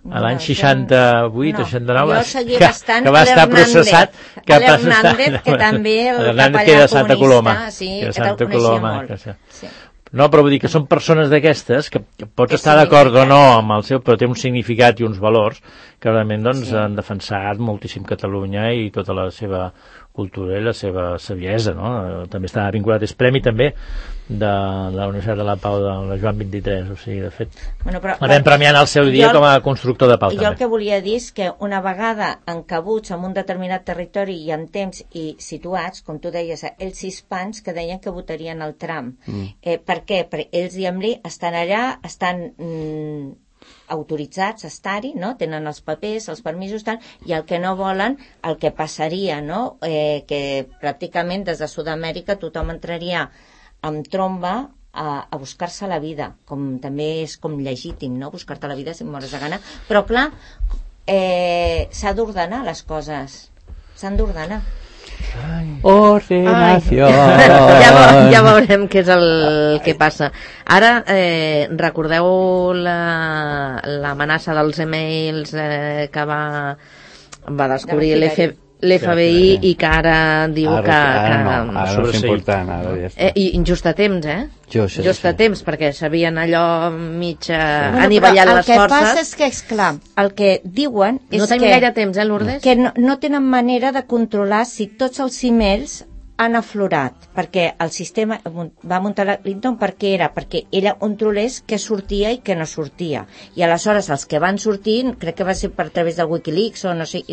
A l'any seixanta-vuit o no, seixanta-nou que, bastant que va estar processat que l'Hernández, que també el capellà de Santa Coloma, sí, que, que Santa te'l coneixia Coloma, molt. Que, sí. No, però vull dir que són persones d'aquestes que, que pots que estar d'acord o no amb el seu, però té un significat i uns valors que realment doncs, sí. Han defensat moltíssim Catalunya i tota la seva cultura i la seva saviesa, no? També està vinculat, és premi també de la Universitat de la Pau de la Joan vint-i-tres, o sigui, de fet bueno, però, la vam premiar al seu dia el, com a constructor de pau jo també. El que volia dir és que una vegada encabuts en un determinat territori i en temps i situats, com tu deies, ells hispans que deien que votarien el Trump. Mm. Eh, per què? Perquè ells, diguem-li, estan allà, estan... Mm, autoritzats a estar-hi, no? Tenen els papers, els permisos, tal, i el que no volen, el que passaria, no? Eh, que pràcticament des de Sud-amèrica tothom entraria amb tromba a, a buscar-se la vida, com també és com legítim, no? Buscar-te la vida si mores de gana, però clar, eh, s'ha d'ordenar les coses, s'han d'ordenar. Ordenació. ja, ja veurem què és el que passa. Ara, eh, recordeu l'amenaça la, dels e-mails eh, que va, va descobrir l'F B I i que ara diu ara, que... Ara que no, ara no és important. Ara ja està. Eh, I just a temps, eh? Just, just a sí. temps, perquè sabien allò mig eh, bueno, anivellant les forces. El que passa és que, esclar, el que diuen és no tenim que, gaire temps, eh, Lourdes? Que no, no tenen manera de controlar si tots els emails han aflorat, perquè el sistema va muntar la Clinton perquè era, perquè ella controlés què sortia i què no sortia. I aleshores els que van sortir, crec que va ser per través del Wikileaks o no sé,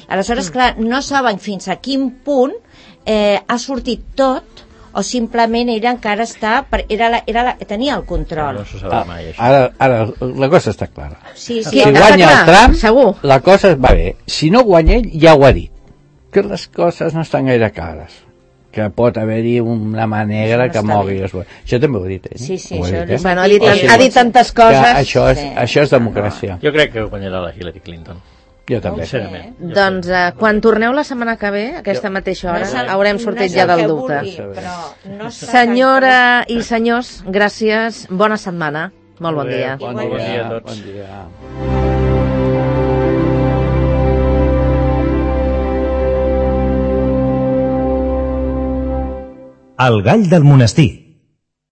aleshores, mm. clar, no saben fins a quin punt eh, ha sortit tot o simplement ella encara està, era la, era la, tenia el control. No se sabrà mai, això. Ara, ara la cosa està clara. Sí, sí, si està guanya clar, el Trump, segur. La cosa va bé. Si no guanya ell, ja ho ha dit. Que les coses no estan gaire clares. Que pot haver-hi una mà negra que mogui les bones. Això també ho ha dit ell. Sí, sí, ho això ha dit, eh? bueno, ha, dit, ha dit tantes coses. Que això és, sí. això és democràcia. Jo crec que guanyarà la Hillary Clinton. Jo també. Sincerament. Eh? Doncs eh, quan torneu la setmana que ve, a aquesta mateixa hora, no haurem sortit no ja del vulgui, dubte. però no Senyora i senyors, gràcies, bona setmana, molt bon dia. Bon Bon dia a dia, tots. bon dia. El gall del monestir.